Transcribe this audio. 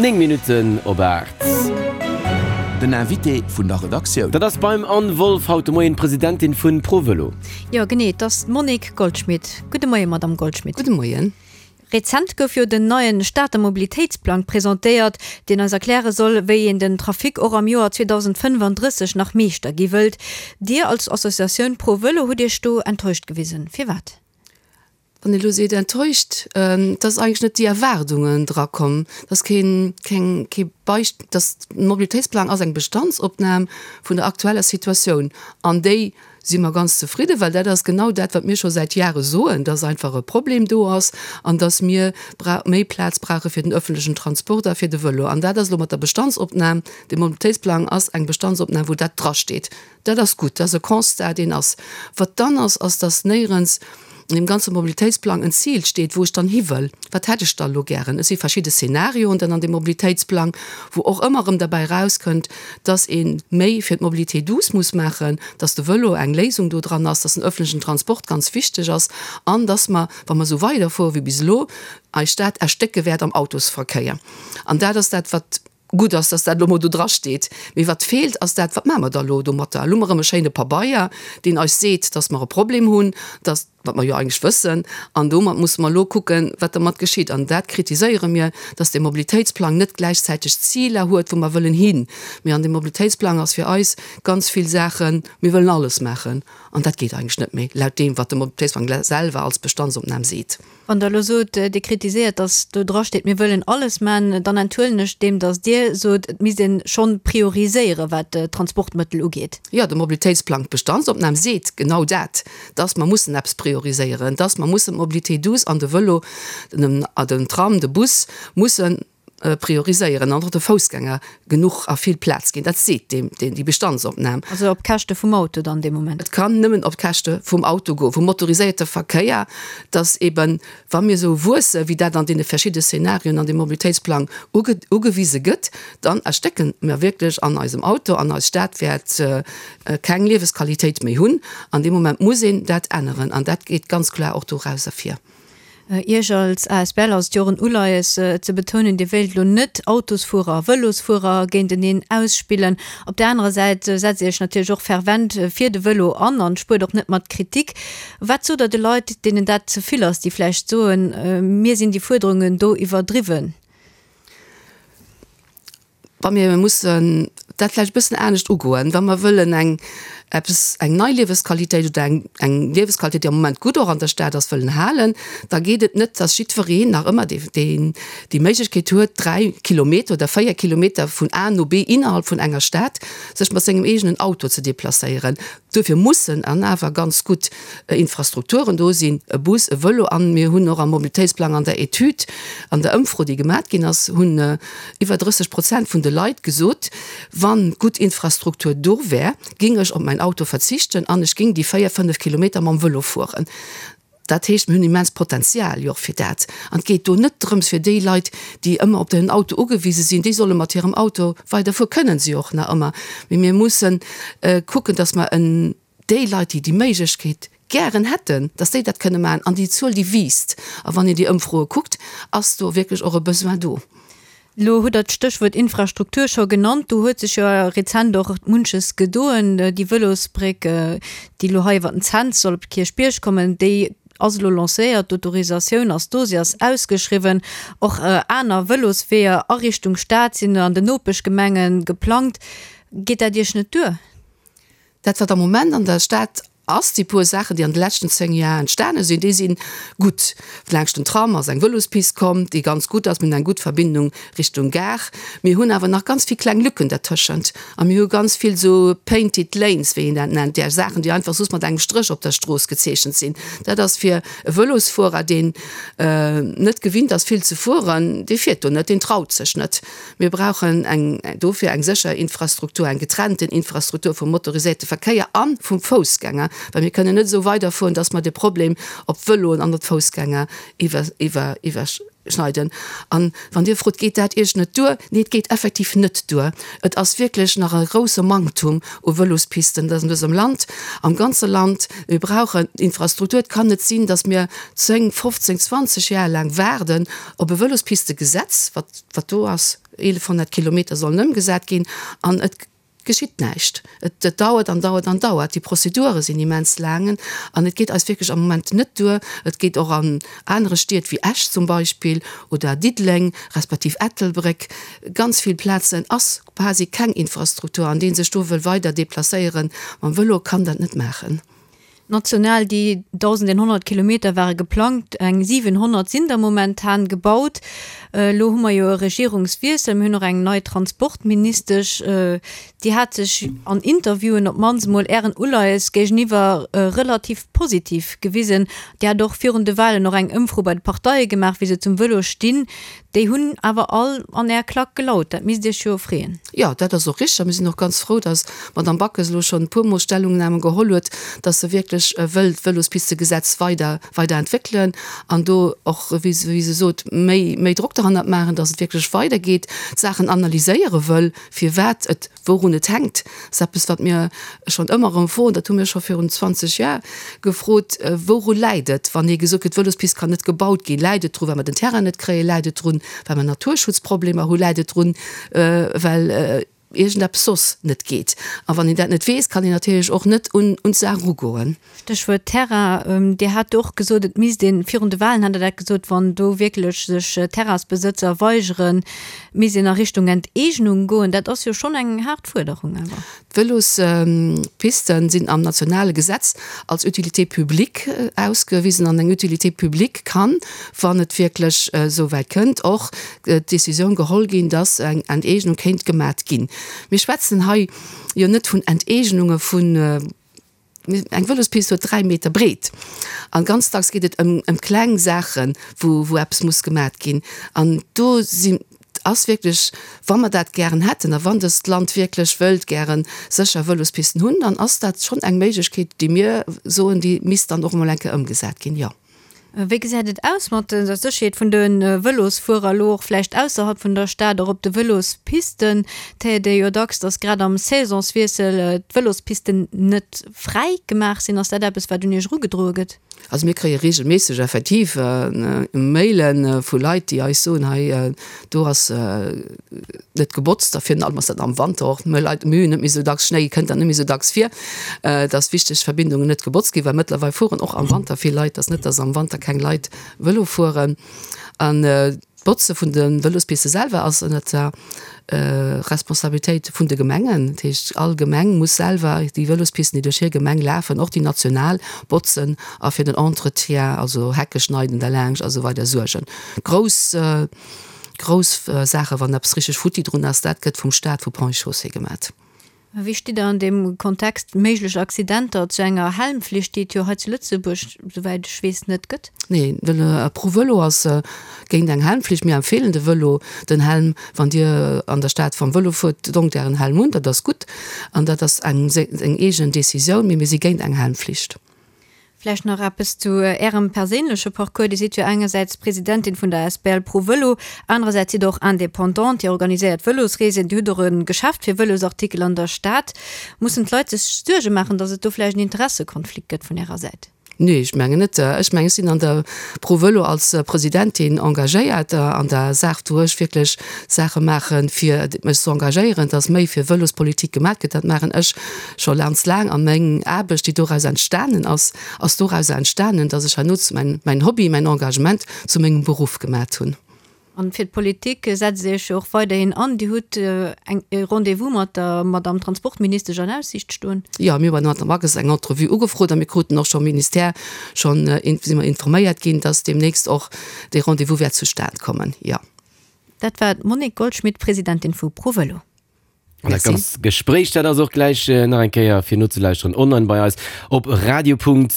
9 Minutten op 8. Den Invité vun der Redaktioun. Dat ass beim Anne Wolff haut de Moien, d'Presidentin vun ProVelo. Jo genee, et ass d'Monique Goldschmit. Gudde Moien, Madamm Goldschmit. Gudde Moien. Rezent gouf jo den neien Stater Mobilitéitsplang presentéiert, deen eis erkläre soll, wéi een den Trafic och am Joer 2035 nach Meeschter gi wëllt. Dir als Associatioun ProVelo hutt Iech do enttäuscht gewisen. Firwat? Wann ee elo seet enttäuscht, et ass eigentlech net déi Erwaardungen drakomm, et ass keen, keng, kee Beisp-, dass de Mobilitéitsplang ass eng Bestandsopnam vun der aktueller Situatioun an déi si mer ganz zefridden, well dat ass genau dat, wat mir scho säit Jahre soen, dass einfach e Problem do ass an dass mir bra méi Plaz brauche fir den öffentlechen Transport a fir de Vëlo. An dat ass elo mat der Bestandsopnam, de Mobilitéitsplang ass eng Bestandsopnam, wou dat drasteet. Dat ass gutt, dat ass e Constat, deen ass. Wat dann ass, ass, dass néierens an deem ganze Mobilitéitsplang en Zil steet, wou ech dann hi wëll. Wat hätt ech da elo gären? Et si verschidde Szenarioen dann an deem Mobilitéitsplang, wou och ëmmer erëm derbäi erauskënnt, dass ee méi fir d'Mobilité douce muss maachen, dass de Vëlo eng Léisung do dran ass, dass den öffentlichen Transport ganz wichteg ass an dass mer, wa mer esou weiderfuere wéi bis elo, eis Stad erstécke wäert am Autosverkéier. An dat ass dat, wat Gutt ass, dass dat elo mol do drasteet. Mee wat feelt, ass dat, Wat maache mer da elo domatter? Elo hu mer erëm e schéine Pabeier, deen eis seet, dass mer e Problem hunn, dass, wat mer jo eigentlech wëssen. An domat musse mer elo kucken, wat dermat geschitt. An dat kritiséiere mir, dass dee Mobilitéitsplang net gläichzäiteg Ziler huet, wou mer wëllen hin. Mee an deem Mobilitéitsplang ass fir eis ganz vill Saachen, mir wëllen alles maachen. An dat geet eigentlech net méi, laut deem, wat de Mobilitéitsplang selwer als Bestandsopnam seet. Wann Der elo sot, Dir kritiséiert, datt do drasteet, mir wëllen alles man, dann enthuelen ech deem, datt Dir sot, et misst ee schonn prioriséieren, wat d'Transportmëttel ugeet. Jo, de Mobilitéitsplang, d'Bestandsopnam seet genau dat, datt mer mussen eppes prioriséieren, datt mer mussen d'Mobilité douce an de Vëlo, den Tram, de Bus mussen prioriséieren an och de Foussgänger genuch a vill Plaz ginn. Dat seet déi Bestandsopnam. Also op Käschte vum Auto dann dee Moment? Et kann nëmmen op Käschte vum Auto goen, vum motoriséierte Verkéier, dass eben, wa mir esou wuesse wéi dat an deene verschidde Szenarien an deem Mobilitéitsplang ugewise gëtt, dann erstécke mer wierklech an eisem Auto an eis Stad wäert keng Liewesqualitéit méi hunn. An deem Moment muss een dat änneren an dat geet ganz kloer och doraus ervir. Iech als asbl ass et jo och en Uleies ze betounen, Dir wéilt elo net Autosfuerer a Vëlosfuerer géinteneen ausspillen. Op där anerer Säit setzt Dir Iech natierlech och fervent fir de Vëlo an an spuert och net mat Kritik. Wat sot Der de Leit, deenen dat ze vill ass, déi vläicht soen, mir sinn déi Fuerderungen do iwwerdriwwen? Wa mir mussen dat vläicht e bëssen anescht ugoen, wa mer wëllen eng eppes, eng nei Liewesqualitéit oder eng eng Liewesqualitéit, déi am Moment gutt och an der Stad ass, wëllen halen, da geet et net, dass jiddwereen nach ëmmer dee deen déi Méiglechkeet huet, 3 Kilometer oder 4 Kilometer vun A no B innerhalb vun enger Stad sech mat sengem eegenen Auto ze deplacéieren. Duerfir mussen an awer ganz gutt Infrastrukturen do sinn, e Bus, e Vëlo. An mir hunn och am Mobilitéitsplang an der Etüd, an der Ëmfro, déi gemat ginn ass, hunn iwwer 30 Prozent vun de Leit gesot, Wann gutt Infrastruktur do wär, géing ech op mäin Auto verzichten an ech géing déi 4, 5 Kilometer mam Vëlo fueren. Dat heescht, mir hunn immens Potenzial jo och fir dat. An et geet do net drëms fir déi Leit, déi ëmmer op den Auto ugewise sinn, déi solle mat hirem Auto weiderfueren, kënnen se jo och nach ëmmer. Mee mir mussen kucken, datt mer en déi Leit, déi déi Méiglechkeet gären hätten, datt déi dat kënne maachen. An déi Zuel, déi wiisst. A wann een déi Ëmfroe kuckt, ass do wierklech och e Besoin do. Elo hutt Der d'Stéchwuert Infrastruktur scho genannt. Do huet sech jo rezent och munches gedoen. Déi Vëlosbréck, déi elo hei iwwer den Cents soll op de Kierchbierg kommen, déi ass elo lancéiert. D'Autorisatioun ass do, se ass ausgeschriwwen. Och aner Vëlosweeër a Richtung Stad sinn an den Nopeschgemenge geplangt. Geet dat Iech net duer? Dat, wat am Moment an der Stad ass, déi puer Saachen, déi an de leschten 10 Jar entstane sinn, déi si gutt. Laanscht den Tram ass eng Vëlospist komm, déi ganz gutt ass. Mir hunn eng gutt Verbindung Richtung Gare. Mir hunn awer nach ganz vill kleng Lücken dertëschent a mir hu ganz vill esou painted lanes, wéi een dat nennt, där Saachen, déi einfach soss mat engem Stréch op der Strooss gezeechent sinn. Dat ass fir e Vëlosfuerer, deen net gewinnt ass vill ze fueren, dee fiert do net, deen traut sech net. Mir brauchen eng dofir eng sécher Infrastruktur, eng getrennten Infrastruktur vum motoriséierte Verkéier a vum Foussgänger, well mir kënnen net esou weiderfueren, dass mer de Problem op d'Vëloen an op d'Foussgänger iwwer, iwwer, iwwerschneiden. An wann Dir frot, Geet dat Iech net duer? Nee, et geet effektiv net duer. Et ass wierklech nach e grouse Manktum u Vëlospisten an dësem Land, am ganze Land. Mir brauchen Infrastruktur. Et kann net sinn, dass mir 10, 15, 20 Jar laang waarden op e Vëlospistegesetz, wat, wat do ass. 1.100 Kilometer sollen ëmgesat ginn an et geschitt näischt. Et dauert an dauert an dauert. Déi Prozedure sinn immens laang an et geet eis wierklech am Moment net duer. Et geet och an anere Stied wéi Esch zum Beispill oder Diddeleng respektiv Ettelbréck, ganz vill Plazen ass quasi keng Infrastruktur an dee sech do wëll weider deplacéieren mam Vëlo kann dat net maachen. National, déi 1.100 Kilometer ware geplangt, eng 700 sinn der momentan gebaut. Elo hu mer jo e Regierungswiessel, mir hunn och eng nei Transportministesch, déi hat sech an Interviewen op d'mannst emol Ären Uleies géigeniwwer relativ positiv gewisen. Dir hat och virun de Wahlen och eng Ëmfro bei de Parteie gemaach, wéi se zum Vëlo stinn. Déi hunn awer all an Är Klack gelaut. Dat misst Iech jo freeën. Jo, dat ass och richteg. A mir sinn och ganz frou, dass d'Madame Backes elo schonn e puermol Stellungnahmen geholl huet, dass se wierklech wëll d'Vëlospistegesetz weider, weider entwéckelen an do och, wéi se, wéi se sot, méi, méi Drock derhannert maachen, dass et wierklech weidergeet, d'Saachen analyséiere wëll, firwat et Wourun et hänkt, ass eppes, wat mir schonn ëmmer erëm froen. Dat hu mir scho virun 20 Jar gefrot. Wouru läit et, wann ee gesot kritt, d'Vëlospist kann net gebaut ginn? Läit et dru well mer den Terrain net kréien? Läit et drun, well mer Naturschutzproblemer hunn? Läit et drun, well iergendeppes soss net geet? A wann een dat net weess, kann een natierlech och net un d'Saach erugoen. Stéchwuert Terrain, Dir hat do och gesot, et misst een, virun de Wahlen hat Der dat gesot, wann do wierklech sech Terrainsbesëtzer weigeren, misst een a Richtung Enteegnung goen. Dat ass jo schonn eng haart Fuerderung awer. D'Vëlospisten sinn am nationale Gesetz als Utilité publique ausgewisen an eng Utilité publique kann, wann et wierklech esou wäit kënnt, och d'Décisioun geholl ginn, dass eng Enteegnung kéint gemat ginn. Mir schwätzen hei jo net vun Enteegnunge vun Eng Vëlospist huet 3 Meter breet an ganz dacks geet et ëm ëm kleng Saachen, wou wou eppes muss gemat ginn. An do si ass wierklech, wa mer dat gären hätten a wann dëst Land wierklech wëllt gäre sécher Vëlospisten hunn, dann ass dat schonn eng Méiglechkeet, déi mir soen, déi misst dann och emol eng Kéier ëmgesat ginn, jo. Wéi gesäit et aus mat der Sécherheet vun de Vëlosfuerer elo och vläicht ausserhalb vun der Stad, och op de Vëlospisten? Et héiert ee jo dacks, datt grad am Saisonswiessel d'Vëlospisten net fräi gemaach sinn. Ass dat eppes, wat un Iech erugedroe gëtt? Also mir kréie reegelméisseg effektiv Maile vu Leit, déi eis soen, hei do ass net gebotzt a virun allem ass dat am Wanter och, mir Leit, mir hunn net méi esou dacks Schnéi, kënnt dat net méi esou dacks vir, dass wichteg Verbindungen net gebotzt ginn, well mëttlerweil fueren och am Wanter vill Leit, dass net, dass am Wanter keng Leit Vëlo fueren. An d'Botze vun de Vëlospiste selwer ass ënnert der Responsabilitéit vun de Gemengen. Dat heescht, all Gemeng muss selwer déi Vëlospisten, déi duerch hir Gemeng lafen, och déi national, botzen a fir den Entretien, also Hecke schneiden derlaanscht a sou weider suergen. Grouss. Grouss Saachen, wann eppes richteg futti drun ass, dat gëtt vum Staat, vu Ponts et Chaussées gemat. Wéi stitt Der an deem Kontext méiglech Accidenter zu enger Helmflicht, déi et jo hei zu Lëtzebuerg, souwäit ech weess, net gëtt? Nee, de ProVëlo ass géint eng Helmflicht. Mir empfeelen de Vëlo, den Helm, wann Dir an der Stad vam Vëlo fuert, dongt Ären Helm un, dat ass gutt an dat ass eng seng eegen Decisioun, mee mir si géint eng Helmflicht. Vläicht nach eppes zu Ärem perséinleche Parcours. Dir sidd jo engersäits Presidentin vun der Asbl Pro Vëlo, anerersäits sidd Der och Indépendante, Dir organiséiert Vëlosreesen, Dir hutt och e Geschäft fir Vëlosartikel an der Stad. Mussen d'Leit sech Suerge maachen, datt et do vläicht en Interessekonflikt gëtt vun Ärer Säit? Nee, ech mengen net. Ech mengen, ech sinn an der Pro Vëlo als Presidentin engagéiert an der Saach, wou ech wierklech Saache maachen, fir mech ze engagéieren, datt méi fir Vëlospolitik gemaat gëtt. Dat maachen ech scho ganz laang a meng Aarbecht, déi doraus entstanen ass, ass dorauser entstanen, dass ech herno mäin, mäin Hobby, mäin Engagement zu mengem Beruff gemat hunn. An fir d'Politik setzt Dir Iech jo och weiderhin an. Dir hutt eng, e Rendez-vous mat der Madame Transportministesch an Aussiicht stoen. Jo, mir hu bei der Madame Backes eng Entrevue ugefrot a mir kruten och scho Ministère schonn, si mer informéiert ginn, dass deemnächst och dee Rendez-vous wäert zustan kommen, jo. Dat war d'Monique Goldschmit, Presidentin vu ProVëlo. An dat ganzt Gespréich, dat ass och gläich nach eng Kéier fir nozelauschteren online bei eis op radio.rtl.lu.